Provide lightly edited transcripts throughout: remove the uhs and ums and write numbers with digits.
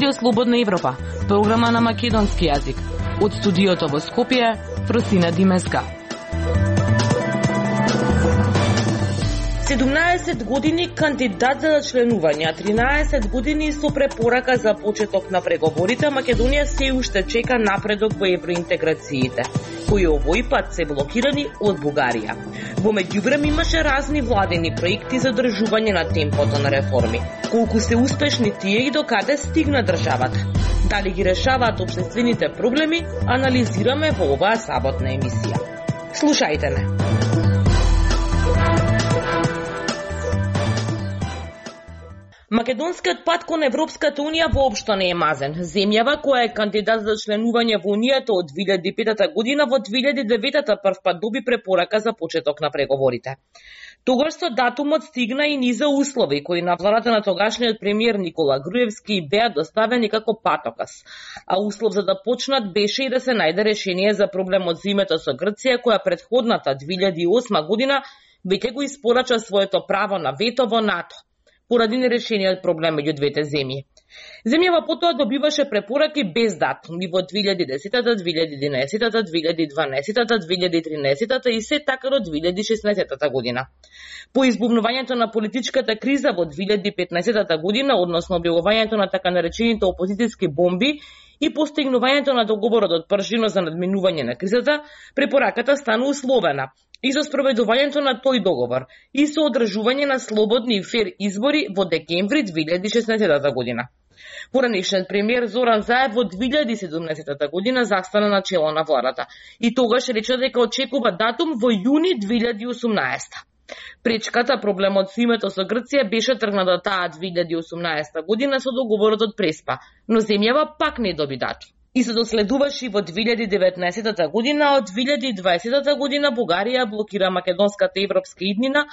Радио Слободна Европа, програма на македонски јазик. Од студиото во Скопје, Фросина Димеска. 17 години кандидат за членување, 13 години со препорака за почеток на преговорите, Македонија се уште чека напредок во евроинтеграциите, кои овој пат се блокирани од Бугарија. Во меѓувреме имаше разни владени проекти за држување на темпото на реформи. Колку се успешни тие и до каде стигна државата? Дали ги решаваат општествените проблеми, анализираме во оваа саботна емисија. Слушајте ме. Македонскиот пат кон Европската Унија воопшто не е мазен. Земјава која е кандидат за членување во Унијата од 2005 година во 2009 првпат доби препорака за почеток на преговорите. Тогаш со датумот стигна и низа услови кои на владата на тогашниот премиер Никола Груевски беа доставени како патоказ. А услов за да почнат беше и да се најде решение за проблемот за името со Грција, која претходната 2008 година веќе го испорача своето право на вето во НАТО поради нерешениот проблем меѓу двете земји. Земјава потоа добиваше препораки без датуми во 2010, 2011, 2012, 2013 и се така до 2016 година. По избувнувањето на политичката криза во 2015 година, односно објавувањето на така наречените опозицијски бомби и постигнувањето на договорот од Пржино за надминување на кризата, препораката стана условена и за спроведувањето на тој договор и со одржување на слободни и фер избори во декември 2016 година. Поранешниот премиер Зоран Заев во 2017 година застана на чело на владата и тогаш рече дека очекува датум во јуни 2018. Пречката, проблемот со името со Грција беше тргната таа 2018 година со договорот од Преспа, но земјава пак не доби датум. И се доследуваше во 2019 година, а од 2020 година Бугарија блокира македонската европска иднина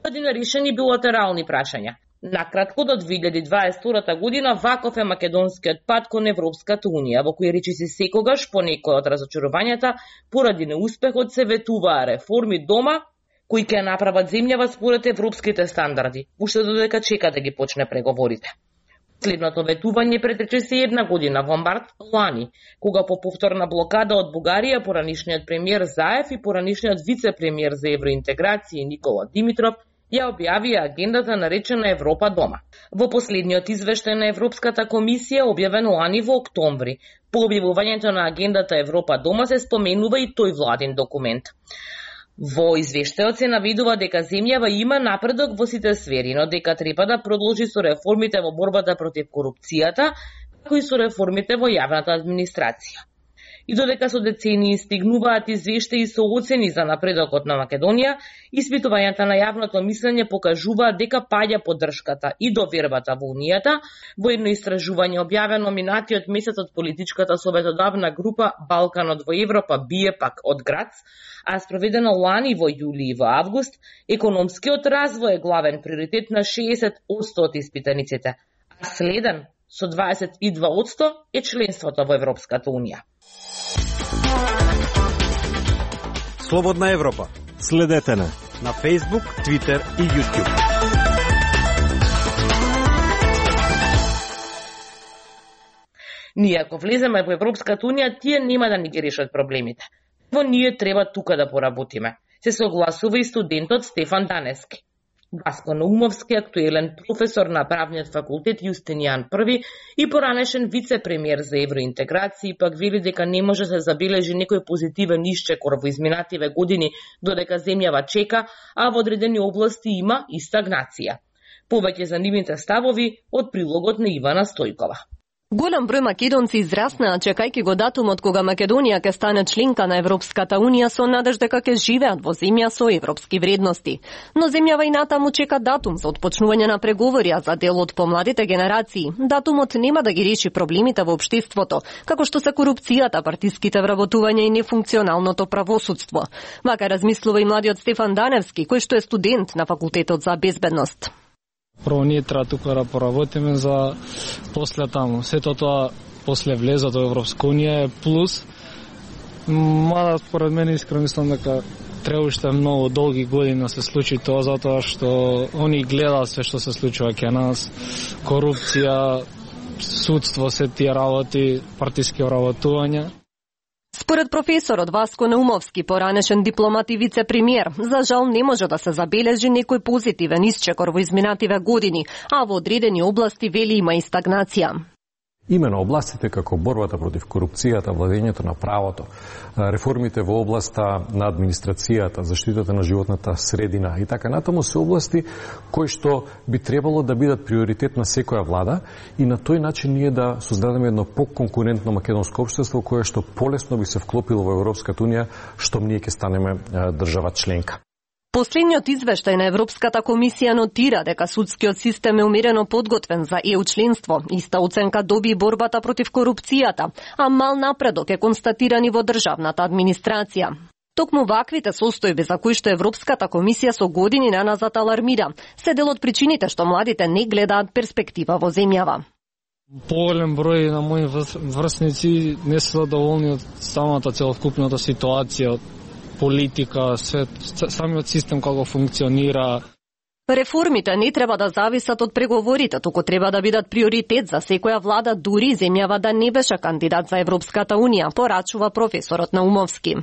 поради нерешени билатерални прашања. Накратко, до 2022 година ваков е македонскиот пат кон Европската Унија, во кој речиси секогаш по некој од разочарувањата поради неуспехот се ветуваа реформи дома, кои ќе направат земјава според европските стандарди, уште додека чека да ги почне преговорите. Следното ветување претрече се една година во март лани, кога по повторна блокада од Бугарија поранишниот премиер Заев и поранишниот вице-премиер за евроинтеграција Никола Димитров ја објавија агендата наречена Европа дома. Во последниот извештај на Европската комисија, објавен лани во октомври, по објавувањето на агендата Европа дома се споменува и тој владин документ. Во извештајот се наведува дека земјава има напредок во сите сфери, но дека треба да продолжи со реформите во борбата против корупцијата, како и со реформите во јавната администрација. И додека со децении стигнуваат извештаи со оцени за напредокот на Македонија, испитувањата на јавното мислење покажуваат дека паѓа поддршката и довербата во Унијата. Во едно истражување објавено минатиот месец од политичката советодавна група Балканот во Европа бие пак од Грац, а спроведено лани во јули и во август, економскиот развој е главен приоритет на 60% од испитаниците, а следен со 22% е членството во Европската Унија. Слободна Европа. Следете на Facebook, Twitter и YouTube. Ние ако влеземе во Европската Унија, тие нема да ни ги решат проблемите. Во ние треба тука да поработиме. Се согласува и студентот Стефан Данески. Васко Наумовски, актуелен професор на правниот факултет Јустинијан I и поранешен вице-премиер за евроинтеграција, пак вели дека не може да се забележи некој позитивен исчекор во изминативе години додека земјава чека, а во одредени области има и стагнација. Повеќе за нивните ставови од прилогот на Ивана Стојкова. Голем број македонци израснаа чекајќи го датумот кога Македонија ќе стане членка на Европската Унија со надеж дека ќе живеат во земја со европски вредности. Но земјава и натаму чека датум за отпочнување на преговори за дел од помладите генерации. Датумот нема да ги реши проблемите во општеството, како што се корупцијата, партиските вработувања и нефункционалното правосудство. Вака размислува и младиот Стефан Даневски, кој што е студент на факултетот за безбедност. Прво ние треба тука да поработиме за после таму. Сето тоа после влезот во Европска Унија е плюс. Мада според мене искрено мислам дека треба уште многу долги години да се случи тоа, затоа што они гледаат све што се случува кај нас, корупција, судство, се тие работи, партиски вработувања. Според професорот Васко Наумовски, поранешен дипломат и вице-премиер, за жал не може да се забележи некој позитивен исчекор во изминативе години, а во одредени области вели има и стагнација. Имено областите како борбата против корупцијата, владењето на правото, реформите во областа на администрацијата, заштитата на животната средина и така натаму се области кои што би требало да бидат приоритет на секоја влада и на тој начин ние да создадеме едно поконкурентно македонско општество кое што полесно би се вклопило во Европската унија, штом ние ќе станеме држава членка. Последниот извештај на Европската комисија нотира дека судскиот систем е умерено подготвен за ЕУ членство. Иста оценка доби и борбата против корупцијата, а мал напредок е констатиран и во државната администрација. Токму ваквите состојби за кои што Европската комисија со години наназад алармира, се дел од причините што младите не гледаат перспектива во земјава. Поголем број на мои врсници не се задоволни од самата целокупната ситуација, политика, самиот систем како функционира. Реформите не треба да зависат од преговорите, туку треба да бидат приоритет за секоја влада, дури земјава да не беше кандидат за Европската унија, порачува професорот Наумовски.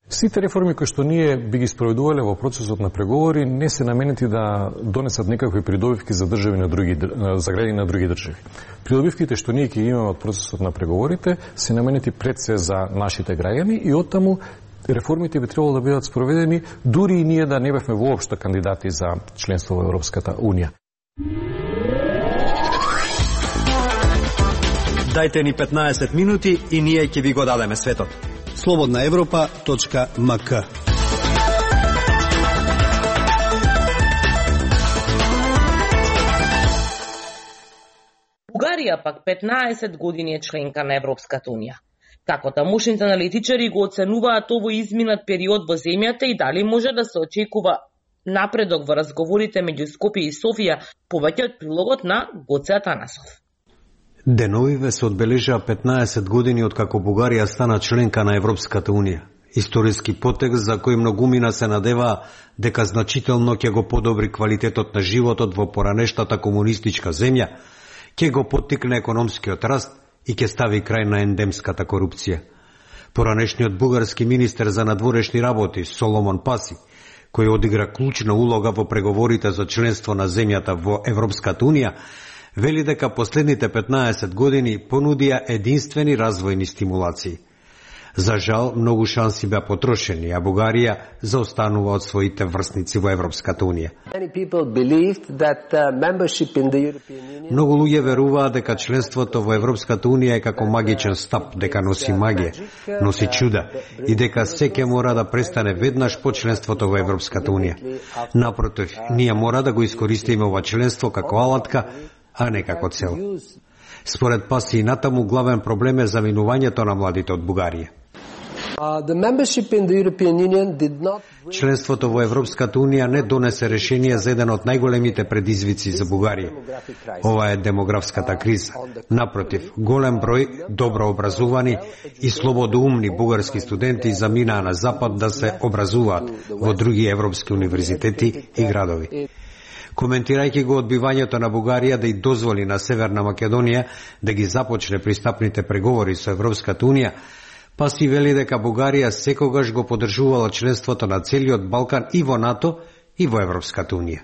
Сите реформи кои што ние би ги спроведувале во процесот на преговори не се наменети да донесат некакви придобивки за држави на други за граѓани на други држави. Придобивките што ние ќе имаме од процесот на преговорите се наменети пред се за нашите граѓани и оттаму реформите би требало да бидат спроведени дури и ние да не бевме воопшто кандидати за членство во Европската унија. Дајте ни 15 минути и ние ќе ви го дадеме светот. slobodnaevropa.mk. Бугарија пак 15 години е членка на Европската унија. Како тамошните аналитичари го оценуваат овој изминат период во земјата и дали може да се очекува напредок во разговорите меѓу Скопје и Софија, повеќе од прилогот на Гоце Атанасов. Деновиве се одбележаа 15 години од како Бугарија стана членка на Европската унија. Историски потек за кој многумина се надеваа дека значително ќе го подобри квалитетот на животот во поранештата комунистичка земја, ќе го поттикне економскиот раст и ќе стави крај на ендемската корупција. Поранешниот бугарски министер за надворешни работи Соломон Паси, кој одигра клучна улога во преговорите за членство на земјата во Европската унија, вели дека последните 15 години понудија единствени развојни стимулации. За жал, многу шанси беа потрошени, а Бугарија заостанува од своите врсници во Европската унија. Многу луѓе веруваат дека членството во Европската унија е како магичен стап, дека носи магија, носи чуда и дека секој мора да престане веднаш по членството во Европската унија. Напротив, ние мора да го искористиме ова членство како алатка, а не како цел. Според Паси и натаму главен проблем е заминувањето на младите од Бугарија. Членството во Европската унија не донесе решение за еден од најголемите предизвици за Бугарија. Ова е демографската криза. Напротив, голем број добро образувани и слободоумни бугарски студенти заминаа на запад да се образуваат во други европски универзитети и градови. Коментирајќи го одбивањето на Бугарија да и дозволи на Северна Македонија да ги започне пристапните преговори со Европската унија, Паси вели дека Бугарија секогаш го поддржувала членството на целиот Балкан и во НАТО и во Европската унија.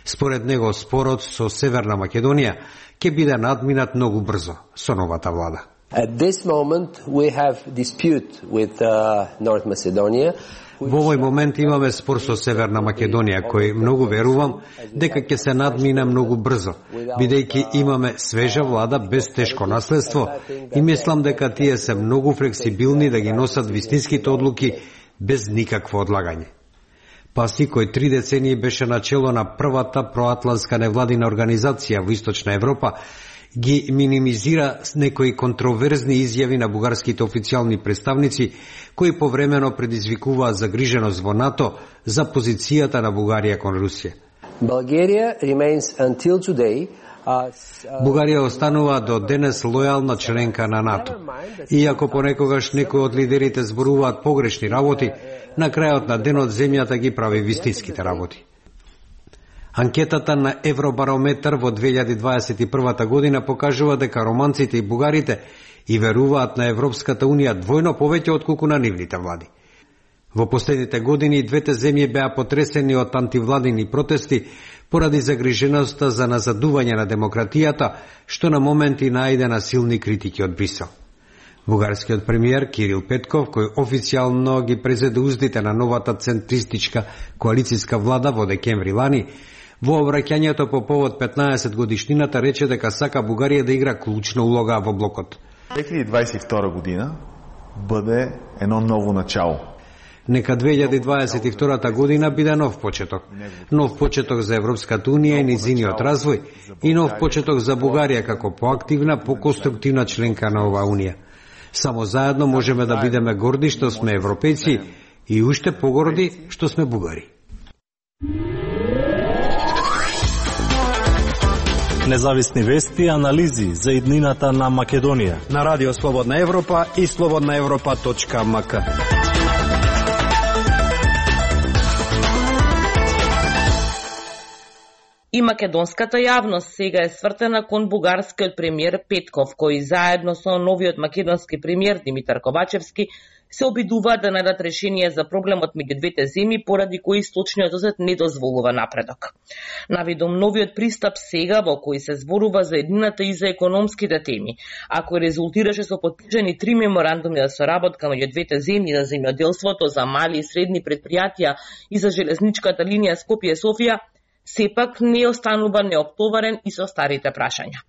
Според него спорот со Северна Македонија ќе биде надминат многу брзо со новата влада. At this moment we have dispute with North Macedonia. Во овој момент имаме спор со Северна Македонија, кој многу верувам дека ќе се надмине многу брзо, бидејќи имаме свежа влада без тешко наследство и мислам дека тие се многу флексибилни да ги носат вистинските одлуки без никакво одлагање. Паси, кој 3 децении беше начело на првата проатлантска невладина организација во Источна Европа, ги минимизира с некои контроверзни изјави на бугарските официјални представници, кои повремено предизвикуваа загриженост во НАТО за позицијата на Бугарија кон Русија. Бугарија останува до денес лојална членка на НАТО. Иако понекогаш некои од лидерите зборуваат погрешни работи, на крајот на денот земјата ги прави вистинските работи. Анкетата на Евробарометар во 2021 година покажува дека романците и бугарите и веруваат на Европската Унија двојно повеќе отколку на нивните влади. Во последните години двете земји беа потресени од антивладини протести поради загриженоста за назадување на демократијата, што на моменти најде на силни критики од Брисел. Бугарскиот премиер Кирил Петков, кој официјално ги презеде уздите на новата центристичка коалицијска влада во декември лани, во обраќањето по повод 15 годишнината рече дека сака Бугарија да игра клучна улога во блокот. 2022 година бъде едно ново начало. Нека 2022 година биде нов почеток. Нов почеток за Европската Унија и низиниот развој и нов почеток за Бугарија како поактивна, поконструктивна членка на оваа Унија. Само заедно можеме да бидеме горди што сме европејци и уште погорди што сме бугари. Независни вести и анализи за иднината на Македонија на Радио Слободна Европа и slobodnaevropa.mk. И македонската јавност сега е свртена кон бугарскиот премиер Петков, кој заедно со новиот македонски премиер Димитар Ковачевски се обидуваат да најдат решение за проблемот меѓу двете земји, поради кои Источниот осет не дозволува напредок. Навидом новиот пристап сега, во кој се зборува за еднината и за економските теми, а кој резултираше со подпишани 3 меморандуми за соработка меѓу двете земји за земјоделството, за мали и средни предпријатија и за железничката линија Скопје-Софија, сепак не останува неоптоварен и со старите прашања.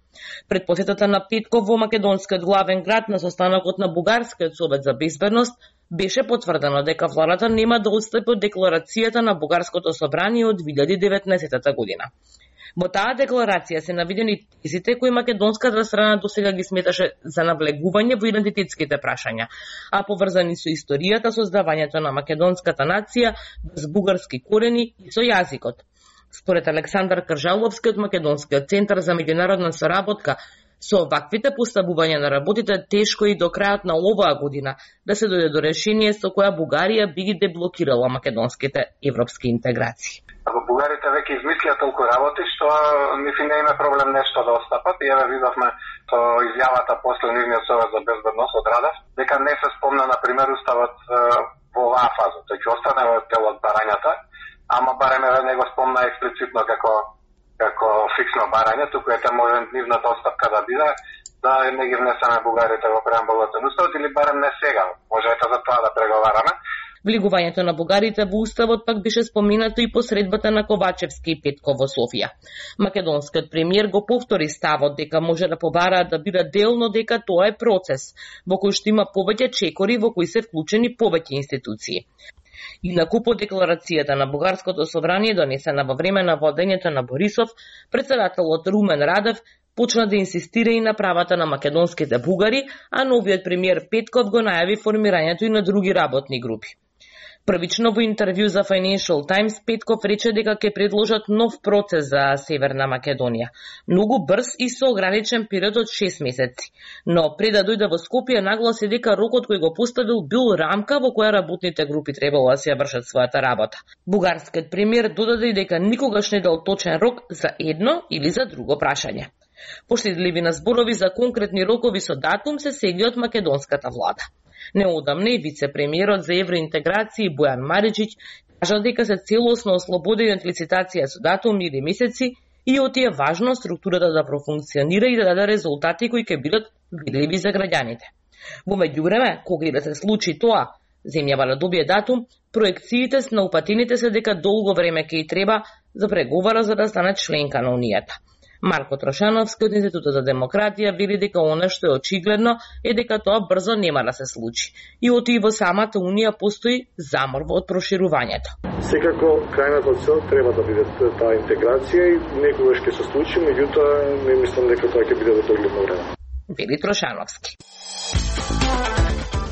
Пред посетата на Петков во македонскиот главен град на состанокот на Бугарскиот совет за безбедност беше потврдено дека владата нема да отстапи од декларацијата на Бугарското собрание од 2019 година. Во таа декларација се наведени тезите кои македонската страна досега ги сметаше за навлегување во идентитетските прашања, а поврзани со историјата, создавањето на македонската нација без бугарски корени и со јазикот. Според Александар Кржаловски од Македонскиот центар за меѓународна соработка, со оваквите поставувања на работите тешко и до крајот на оваа година да се дојде до решение со која Бугарија би ги деблокирала македонските европски интеграции. Ако бугарите веќе измислија толку работи, што нифи не има проблем нешто да отстапат, и еве видовме со изјавата после нивниот совет за безбедност од Радев, дека не се спомна на пример уставот во оваа фаза, тој ќе остане во дел од барањата, ама барем не го спомна експлицитно како фиксно барање, туку ете може нивната отстапка да биде, да не ги внесеме бугарите во преамбулот на уставот, или барем не сега, може ете за тоа да преговараме. Влегувањето на бугарите во уставот пак беше споменато и посредбата на Ковачевски и Петков во Софија. Македонскиот премиер го повтори ставот дека може да побараат да бидат дел, но дека тоа е процес во кој што има повеќе чекори во кои се вклучени повеќе институции. Инаку по декларацијата на Бугарското собрание донесена во време на водењето на Борисов, председателот Румен Радев почна да инсистира и на правата на македонските бугари, а новиот премиер Петков го најави формирањето и на други работни групи. Првично во интервју за Financial Times Петков рече дека ќе предложат нов процес за Северна Македонија, многу брз и со ограничен период од 6 месеци. Но пред да дојде во Скопје нагласи дека рокот кој го поставил бил рамка во која работните групи требало да се вршат својата работа. Бугарскиот премиер додаде и дека никогаш не дал точен рок за едно или за друго прашање. Поштедливи на зборови за конкретни рокови со датум се сегли од македонската влада. Неодамне вице-премиерот за евроинтеграција Бојан Мариџиќ кажа дека се целосно ослободени од лицитација со датум или месеци и оти е важно структурата да профункционира и да даде резултати кои ќе бидат видливи за граѓаните. Во меѓувреме, кога и да се случи тоа, земјава да добие датум, проекциите на упатените се дека долго време ќе и треба за преговара за да стане членка на Унијата. Марко Трошановски од Институтот за демократија вели дека она што е очигледно е дека тоа брзо нема да се случи. И оти и во самата Унија постои замор од проширувањето. Секако крајната цел треба да биде таа интеграција и некогаш ќе се случи, меѓутоа не мислам дека тоа ќе биде во догледно време. Вели Трошановски.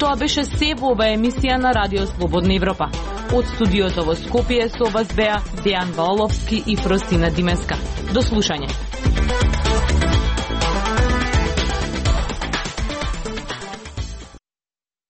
Тоа беше се во оваа емисија на Радио Слободна Европа. Од студиото во Скопје со вас беа Дејан Ваоловски и Фростина Димеска. До слушање.